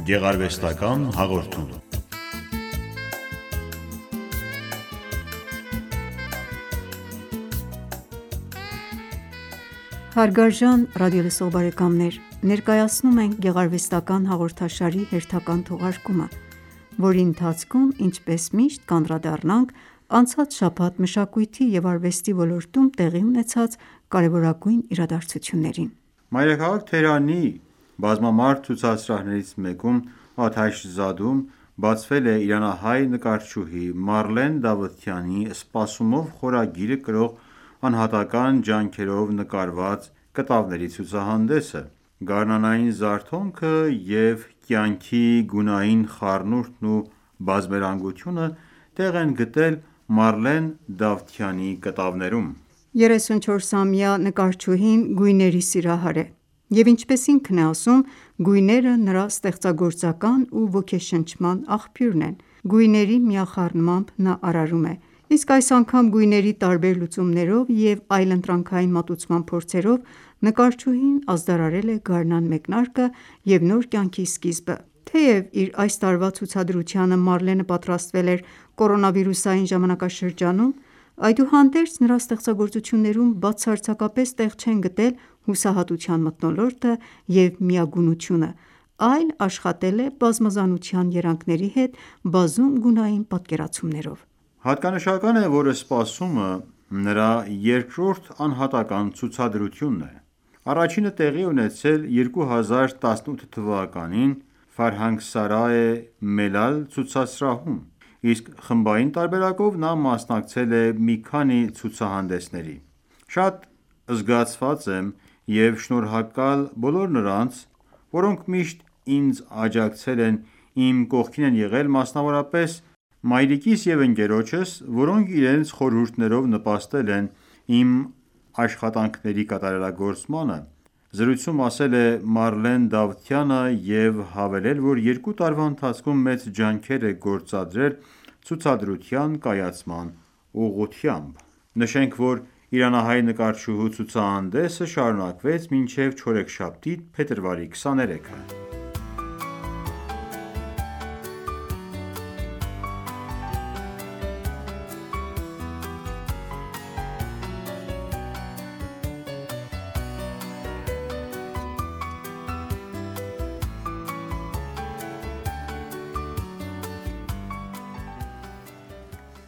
Գեղարվեստական հաղորդում։ Հարգարժան ռադիոլսող բարեկամներ, ներկայացնում ենք գեղարվեստական հաղորդաշարի հերթական թողարկումը, որի ընթացքում, ինչպես միշտ, կանդրադառնանք անցած շաբաթ մշակույթի և արվեստի ոլորտում տեղի ունեցած կարևորագույն իրադարձություններին։ Մայրաքաղաք Թեհրանի բազմամարդ ցուցասրահներից մեկում Աթաշ Զադում բացվել է իրանահայ նկարչուհի Մարլեն Դավթյանի «Սպասումով» խորագիրը կրող անհատական ջանքերով նկարված կտավների ցուցահանդեսը։ Գարնանային զարթոնքը և կյանքի գունային խառնուրդն ու բազմերանգությունը տեղ են գտել Մարլեն Դավթյանի կտավներում։ 34-ամյա նկարչուհին գույների սիրահար է, և ինչպես ինքն է ասում, գույները նրա ստեղծագործական ու ոգեշնչման աղբյուրն են։ Գույների միախառնմամբ նա արարում է, իսկ այս անգամ գույների տարբեր լուծումներով և այլընտրանքային մատուցման փորձերով նկարչուհին ազդարարել է գարնան մեկնարկը և նոր կյանքի սկիզբը։ Թեև իր այս տարվա ցուցադրությանը Մարլենը պատրաստվել էր կորոնավիրուսային ժամանակաշրջանում, այդուհանդերձ նրա ստեղծագործություններում բացարձակապես տեղ չեն գտել հուսահատության մթնոլորտը և միագունությունը, այլ աշխատել է բազմազանության երանգների հետ բազում գունային պատկերացումներով։ Հատկանշական է, որ «Սպասումը» նրա երկրորդ անհատական ցուցադրությունն է։ Առաջինը տեղի է ունեցել 2018 թվականին Ֆարհանգսարայե Մելալ ցուցասրահում, իսկ խմբային տարբերակով նա մասնակցել է մի քանի ցուցահանդեսների։ Շատ զգացված եմ և շնորհակալ բոլոր նրանց, որոնք միշտ ինձ աջակցել են, իմ կողքին են եղել, մասնավորապես մայրիկիս և ընկերոջս, որոնք իրենց խորհուրդներով նպաստել են իմ աշխատանքների կատարելագործմանը։ Զրույցում ասել է Մարլեն Դավթյանը և հավելել, որ 2 տարվա ընթացքում մեծ ջանքեր է գործադրել ցուցադրության կայացման ուղղությամբ։ Նշենք, որ իրանահայ նկարչուհու ցուցահանդեսը շարունակվեց մինչև չորեքշաբթի, փետրվարի 23-ը։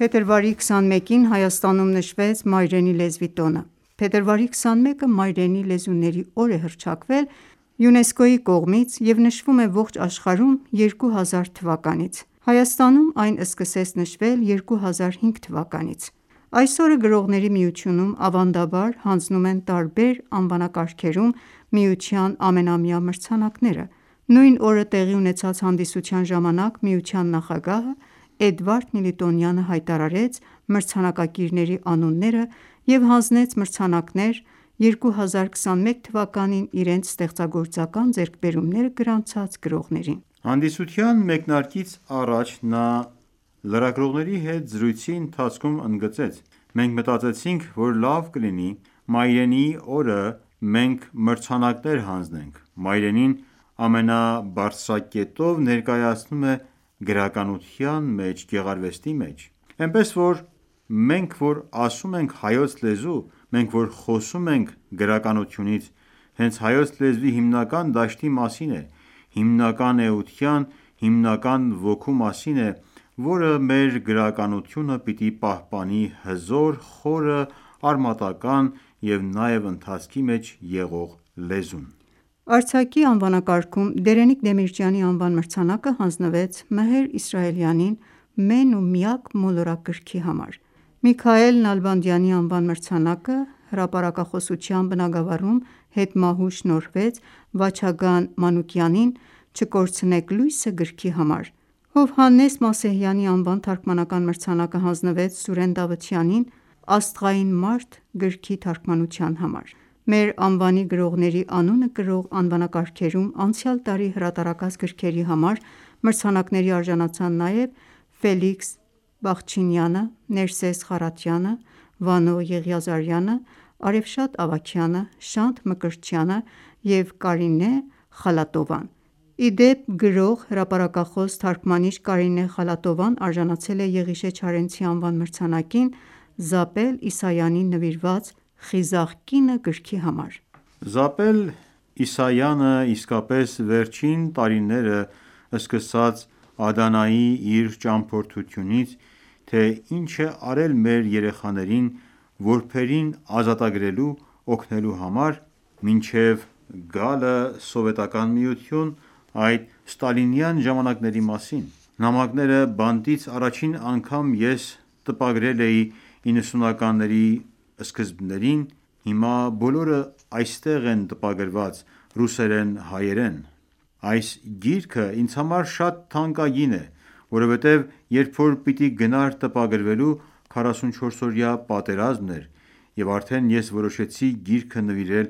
Փետրվարի 21-ին Հայաստանում նշվեց Մայրենի լեզվի տոնը։ Փետրվարի 21-ը Մայրենի լեզուների օր է հռչակվել ՅՈՒՆԵՍԿՕ-ի կողմից և նշվում է ողջ աշխարհում 2000 թվականից։ Հայաստանում այն սկսեց նշվել 2005 թվականից։ Այս օրը Գրողների միությունում ավանդաբար հանձնում են տարբեր անվանակարգերում միության ամենամյա մրցանակները։ Նույն օրը տեղի ունեցած հանդիսության ժամանակ միության նախագահը Էդվարդ Միլիտոնյանը հայտարարեց մրցանակակիրների անունները և հանձնեց մրցանակներ 2021 թվականին իրենց ստեղծագործական ձեռքբերումները գրանցած գրողներին։ Հանդիսության մեկնարկից առաջ նա լրագրողների հետ զրույցի ընթացքում ընդգծեց. «Մենք մտածեցինք, որ լավ կլինի Մայրենիի օրը մենք մրցանակներ հանձնենք։ Մայրենին ամենաբարձրակետով ներկայացնում է գրականության մեջ, գեղարվեստի մեջ։ Էնպես որ մենք որ ասում ենք հայոց լեզու, մենք որ խոսում ենք գրականությունից, հենց հայոց լեզվի հիմնական դաշտի մասին է, հիմնական էության, հիմնական ոգու մասին է, որը մեր գրականությունը պիտի պահպանի հզոր, խորը, արմատական և նաև ընթացքի մեջ եղող լեզուն»։ Արձակի անվանակարգում Դերենիկ Դեմիրճյանի անվան մրցանակը հանձնվեց Մհեր Իսրայելյանին «Մեն ու միակ» մոլորակ գրքի համար։ Միքայել Նալբանդյանի անվան մրցանակը հրապարակախոսության բնագավառում հետմահու շնորհվեց Վաչագան Մանուկյանին «Չկորցնեք լույսը» գրքի համար։ Հովհաննես Մասեհյանի անվան թարգմանական մրցանակը հանձնվեց Սուրեն Դավթյանին «Աստղային մարդ» գրքի թարգմանության համար։ Մեր անվանի գրողների անունը կրող անվանակարգերում անցյալ տարի հրատարակած գրքերի համար մրցանակների արժանացան նաև Ֆելիքս Բախչինյանը, Ներսես Խառատյանը, Վանո Եղիազարյանը, Արեֆշատ Ավագյանը, Շանթ Մկրտչյանը և Կարինե Խալատովան, Ի դեպ, գրող, հրապարակախոս, թարգմանիչ Կարինե Խալատովան արժանացել է Եղիշե Չարենցի անվան մրցանակին Զապել Իսայանին նվիրված «Խիզախ կինը» գրքի համար։ Զապել Իսայանը իսկապես վերջին տարիները սկսած Ադանայի իր ճամփորդությունից, թե ինչ է արել մեր երեխաներին որբերին ազատագրելու օգնելու համար, մինչև գալը Սովետական Միություն, այդ ստալինյան ժամանակների մասին։ Նամակները բանտից առաջին անգամ ես տպագրել էի 90-ականների սկզբներին, հիմա բոլորը այստեղ են տպագրված ռուսերեն, հայերեն։ Այս գիրքը ինձ համար շատ թանկագին է, որովհետև երբ որ պիտի գնար տպագրվելու, 44-օրյա պատերազմն էր, և արդեն ես որոշեցի գիրքը նվիրել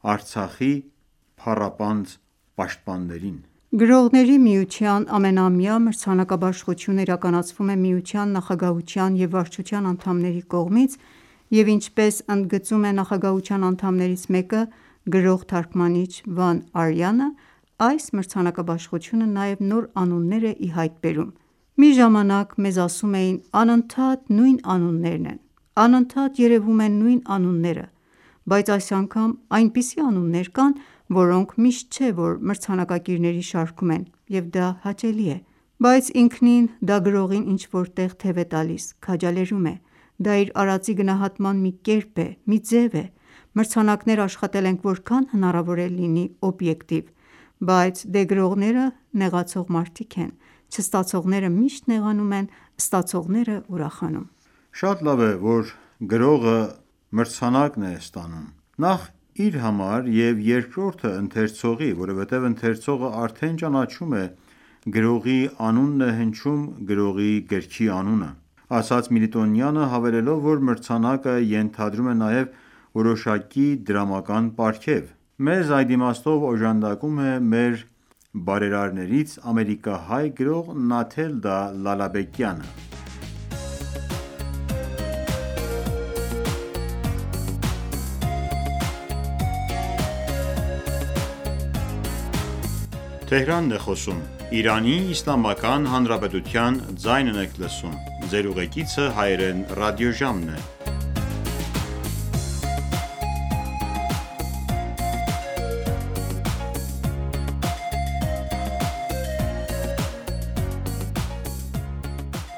Արցախի փառապանծ պաշտպաններին։ Գրողների միության ամենամյա մրցանակաբաշխությունը իրականացվում է միության նախագահության և վարչության անդամների կողմից, և ինչպես ընդգծում է նախագահության անդամներից մեկը, գրող թարգմանիչ Վան Արյանը, այս մրցանակաբաշխությունը նաև նոր անուններ է ի հայտ բերում։ Մի ժամանակ մեզ ասում էին անընդհատ նույն անուններն են, անընդհատ երևում են նույն անունները, բայց այս անգամ այնպիսի անուններ կան, որոնք միշտ չէ, որ մրցանակակիրների շարքում են, և դա հաճելի է։ Բայց ինքնին դա գրողին ինչ-որ տեղ թև է տալիս, քաջալերում է։ Դա իր արածի գնահատման մի կերպ է, մի ձև է։ Մրցանակներ աշխատել ենք որքան հնարավոր է լինի օբյեկտիվ, բայց դե գրողները նեղացող մարդիկ են, չստացողները միշտ նեղանում են, ստացողները ուրախանում։ Շատ լավ է, որ գրողը մրցանակն է ստանում։ Նախ իր համար և երկրորդը ընթերցողի, որովհետև ընթերցողը արդեն ճանաչում է գրողի անունն է հնչում գրողի գրքի անունը։ Ասաց Միլիտոնյանը, հավելելով, որ մրցանակը ենթադրում է նաև որոշակի դրամական պարգև։ Մեզ այդ իմաստով օժանդակում է մեր բարերարներից ամերիկահայ գրող Նաթելդա Լալաբեկյանը։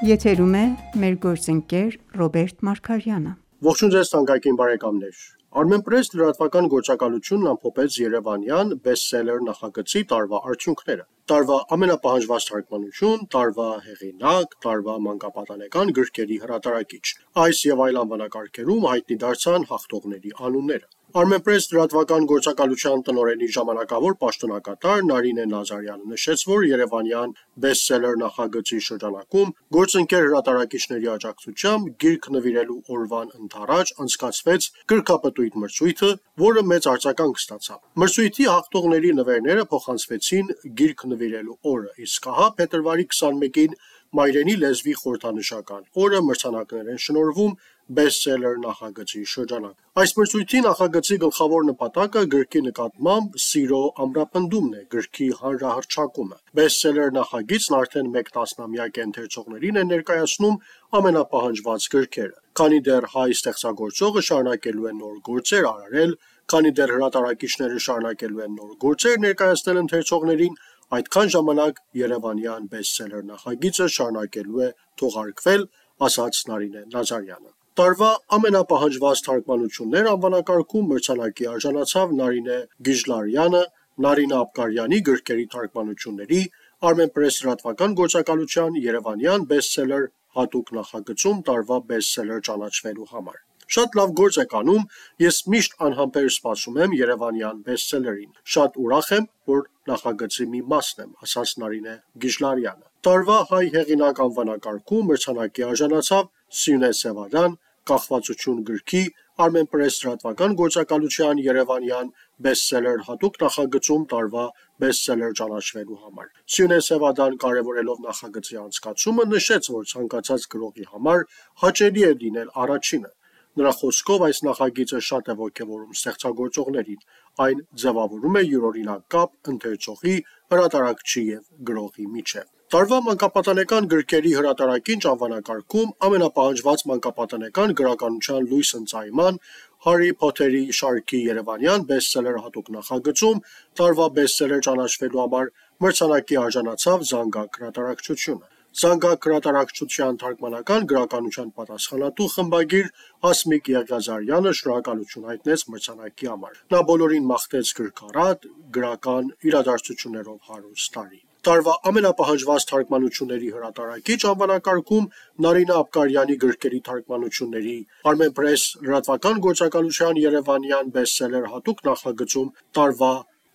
Եթերում է մեր գործընկեր Ռոբերտ Մարգարյանը։ Ողջույն ձեզ թանկագին բարեկամներ։ Armenpress լրատվական գործակալությունն ամփոփեց երևանյան բեսթսելեր նախագծի տարվա արդյունքները։ Տարվա ամենապահանջված թարգմանություն, տարվա հեղինակ, տարվա մանկապատանեկան գրքերի հրատարակիչ։ Այս և այլ անվանակարգերում հայտնի դարձան հաղթողների անունները։ Armenpress լրատվական գործակալության տնօրենի ժամանակավոր պաշտոնակատար Նարինե Նազարյանը նշեց, որ երևանյան բեսթսելեր նախագծի շրջանակում գործընկեր հրատարակիչների աջակցությամբ գիրք նվիրելու օրվան ընդառաջ անցկացվեց գրքապտույտ մրցույթը, որը մեծ արձագանք ստացավ։ Մրցույթի հաղթողների նվերները փոխանցվեցին գիրք նվիրելու օրը, իսկ ահա փետրվարի 21-ին Մայրենի լեզվի խորհրդանշական օրը մրցանակներ են շնորհվում բեսթսելեր նախագծի շրջանակում։ Այս մրցույթի նախագծի գլխավոր նպատակը գրքի նկատմամբ սիրո ամրապնդումն է, գրքի հանրահռչակումը։ Բեսթսելեր նախագիծն արդեն 1 տասնամյակ է ընթերցողներին է ներկայացնում ամենապահանջված գրքերը։ Քանի դեռ հայ ստեղծագործողը շարունակելու է նոր գործեր արարել, քանի դեռ հրատարակիչները շարունակելու են նոր գործեր ներկայացնել ընթերցողներին, այդքան ժամանակ երևանյան բեսթսելեր նախագիծը շարունակելու է թողարկվել, ասաց Նարինե Նազարյանը։ Տարվա ամենապահանջված թարգմանություններ անվանակարգում մրցանակի արժանացավ Նարինե Գիժլարյանը Նարինե Աբգարյանի գրքերի թարգմանությունների Armenpress լրատվական գործակալության երևանյան բեսթսելեր հատուկ նախագծում տարվա բեսթսելեր ճանաչվելու համար։ Շատ լավ գործ եք անում, ես միշտ անհամբեր սպասում եմ երևանյան բեսթսելերին։ Շատ ուրախ եմ, որ նախագծի մի մասն եմ, ասաց Նարինե Գիժլարյանը։ Տարվա հայ հեղինակ անվանակարգում մրցանակի արժանացավ Սյունե Սևադան Կախվածություն գրքի Armenpress լրատվական գործակալության երևանյան բեսթսելեր հատուկ նախագծում տարվա բեսթսելեր ճանաչվելու համար։ Սյունե Սևադան կարևորելով նախագծի անցկացումը նշեց, որ ցանկացած գրողի համար հաճելի է լինել առաջինը։ Նրա խոսքով այս նախագիծը շատ է ոգևորում ստեղծագործողներին, այն ձևավորում է յուրօրինակ կապ ընթերցողի, հրատարակչի և գրողի միջև։ Տարվա մանկապատանեկան գրքերի հրատարակիչ անվանակարգում ամենապահանջված մանկապատանեկան գրականության լույս ընծայման Հարի Փոթերի շարքի երևանյան բեսթսելեր հատուկ նախագծում տարվա բեսթսելեր ճանաչվելու համար մրցանակի արժանացավ Զանգակ հրատարակչությունը։ Զանգակ հրատարակչության թարգմանական գրականության պատասխանատու խմբագիր Հասմիկ Եղիազարյանը շնորհակալություն հայտնեց մրցանակի համար։ Նա բոլորին մաղթեց գրքառատ, գրական իրադարձություններով հարուստ տարի։ Տարվա ամենապահանջված թարգմանությունների հրատարակիչ անվանակարգում Նարինե Աբկարյանի գրքերի թարգմանությունների Armenpress լրատվական գործակալության երևանյան բեսթսելեր հատուկ նախագծում տարվա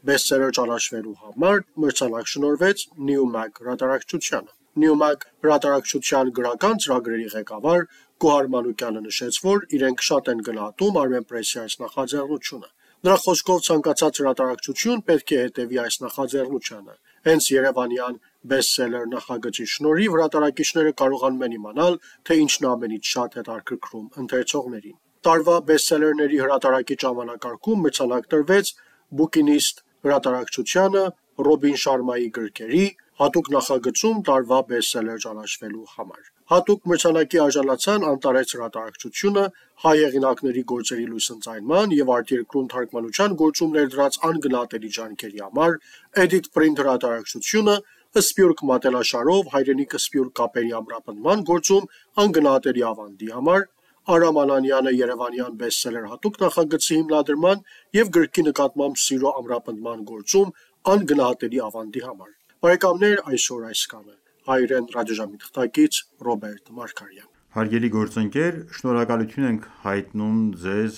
բեսթսելեր ճանաչվելու համար մրցանակ շնորհվեց Newmag հրատարակչությանը։ Newmag հրատարակչության գրական ծրագրերի ղեկավար Գոհար Մանուկյանը նշեց, որ իրենք շատ են գնահատում Armenpress-ի այս նախաձեռնությունը։ Նրա խոսքով ցանկացած հրատարակչություն պետք է հետևի այս նախաձեռնությանը։ Հենց երևանյան բեսթսելեր նախագծի շնորհիվ հրատարակիչները կարողանում են իմանալ, թե ինչն է ամենից շատ հետաքրքրում ընթերցողներին։ Տարվա բեսթսելերների հրատարակիչ անվանակարգում մրցանակ տրվեց Bookинist հրատարակչությանը Ռոբին Շարմայի գրքերի հատուկ նախագծում տարվա բեսթսելեր ճանաչվելու համար։ Հատուկ մրցանակի արժանացան Անտարես հրատարակչությունը հայ հեղինակների գործերի լույս ընծայման և արտերկրում թարգմանության գործում ներդրած անգնահատելի ջանքերի համար, Edit Print հրատարակչությունը Սփյուռք մատենաշարով հայրենիք-սփյուռք կապերի ամրապնդման գործում անգնահատելի ավանդի համար, Արամ Անանյանը երևանյան բեսթսելեր հատուկ նախագծի հիմնադրման և գրքի նկատմամբ սիրո ամրապնդման գործում անգնահատելի ավանդի համար։ Բարեկամներ, այսօր այսքանը։ Հայրեն ռադիոժամի թղթակից Ռոբերտ Մարգարյան։ Հարգելի գործընկեր, շնորհակալություն ենք հայտնում ձեզ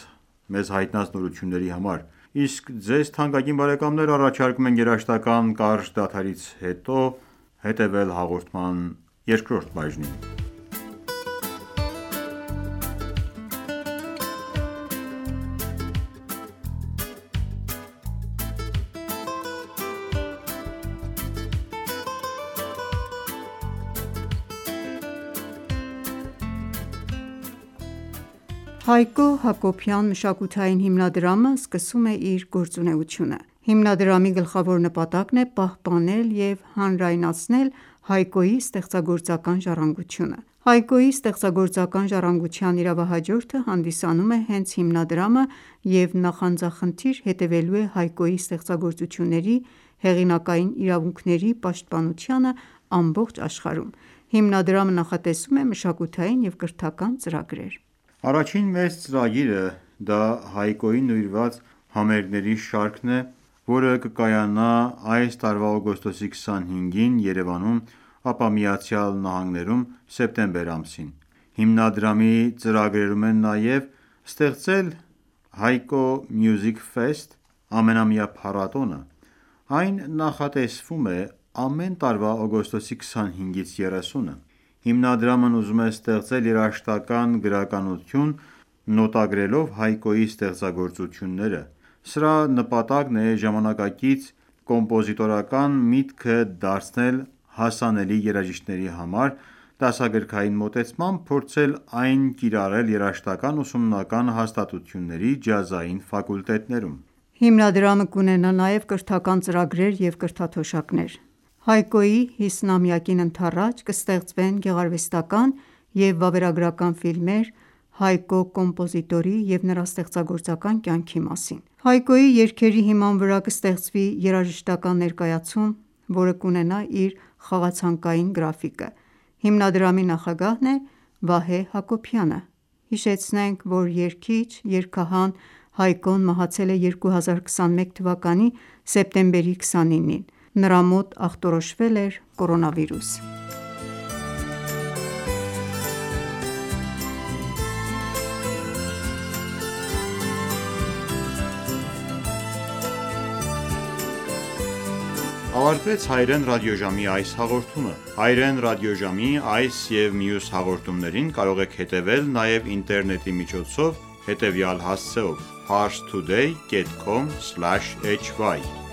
մեզ հայտնած նորությունների համար։ Իսկ ձեզ թանկագին բարեկամներ առաջարկում ենք երաժշտական կարճ դադարից հետո հետևել հաղորդման երկրորդ բաժնին։ Հայկո Հակոբյան մշակութային հիմնադրամը սկսում է իր գործունեությունը։ Հիմնադրամի գլխավոր նպատակն է պահպանել և հանրայնացնել Հայկոյի ստեղծագործական ժառանգությունը։ Հայկոյի ստեղծագործական ժառանգության իրավահաջորդը հանդիսանում է հենց հիմնադրամը և նախանձախնդիր հետևելու է Հայկոյի ստեղծագործությունների հեղինակային իրավունքների պաշտպանությանը ամբողջ աշխարհում։ Հիմնադրամը նախատեսում է մշակութային և կրթական ծրագրեր։ Առաջին մեծ ծրագիրը դա Հայկոյին նվիրված համերգների շարքն է, որը կկայանա այս տարվա օգոստոսի 25-ին Երևանում, ապա ԱՄՆ-ում սեպտեմբեր ամսին։ Հիմնադրամի ծրագրերում են նաև ստեղծել Հայկո Music Fest ամենամյա փառատոնը։ Այն նախատեսվում է ամեն տարվա օգոստոսի 25-ից 30-ը։ Հիմնադրամն ուզում է ստեղծել երաժշտական գրականություն նոտագրելով Հայկոյի ստեղծագործությունները։ Սրա նպատակն է ժամանակակից կոմպոզիտորական միտքը դարձնել հասանելի երաժիշտների համար, դասագրքային մոտեցմամբ փորձել այն կիրառել երաժշտական ուսումնական հաստատությունների ջազային ֆակուլտետներում։ Հիմնադրամը կունենա նաև կրթական ծրագրեր և կրթաթոշակներ։ Հայկոյի 50-ամյակին ընդառաջ կստեղծվեն գեղարվեստական և վավերագրական ֆիլմեր Հայկո կոմպոզիտորի և նրա ստեղծագործական կյանքի մասին։ Հայկոյի երգերի հիման վրա կստեղծվի երաժշտական ներկայացում, որը կունենա իր խաղացանկային գրաֆիկը։ Հիմնադրամի նախագահն է Վահե Հակոբյանը։ Հիշեցնենք, որ երգիչ, երգահան Հայկոն մահացել է 2021 թվականի սեպտեմբերի 29-ին։ Նրա մոտ ախտորոշվել էր կորոնավիրուս։ Ավարտվեց Հայրեն ռադիոժամի այս հաղորդումը։ Հայրեն ռադիոժամի այս և մյուս հաղորդումներին կարող եք հետևել նաև ինտերնետի միջոցով հետևյալ հասցեով՝ parstoday.com/hy